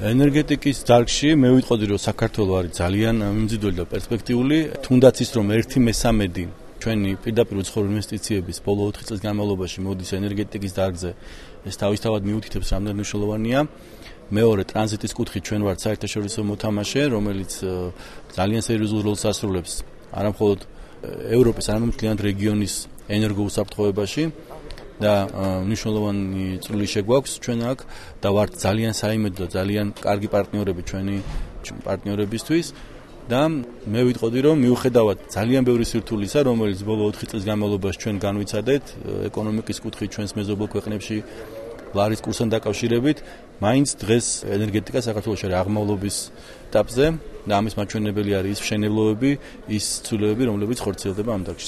ენერგეტიკის დარგში მე ვიტყოდი, რომ საქართველო არის ძალიან მიმზიდველი და პერსპექტიული, თუნდაც ის რომ 1/3 ჩვენი პირდაპირ უცხოური ინვესტიციების ბოლო 4 წლის განმავლობაში მოდის ენერგეტიკის დარგზე, ეს თავისთავად მიუთითებს რამდენად მნიშვნელოვანია. მეორე ტრანზიტის კუთხით ჩვენ ვართ საერთაშორისო მოთამაშე, რომელიც ძალიან სერიოზულ როლს ასრულებს არა მხოლოდ ევროპის, არამედ მთლიან რეგიონის ენერგოუსაფრთხოებაში და მნიშვნელოვანი წვლილი შეგვაქვს ჩვენ აქ და ვართ ძალიან საიმედო და ძალიან კარგი პარტნიორები ჩვენი პარტნიორებისთვის და მე ვიტყოდი, რომ მიუხედავად ძალიან ბევრი სირთულისა, რომელიც ბოლო 4 წლის განმავლობაში ჩვენ განვიცადეთ ეკონომიკის კუთხით ჩვენს მეზობელ ქვეყნებში ლარის კურსთან დაკავშირებით, მაინც დღეს ენერგეტიკა საქართველოში არის აღმავლობის ეტაპზე და ამის მაჩვენებელი არის ის მშენებლობები, ის ცვლილებები, რომლებიც ხორციელდება ამ დარგში.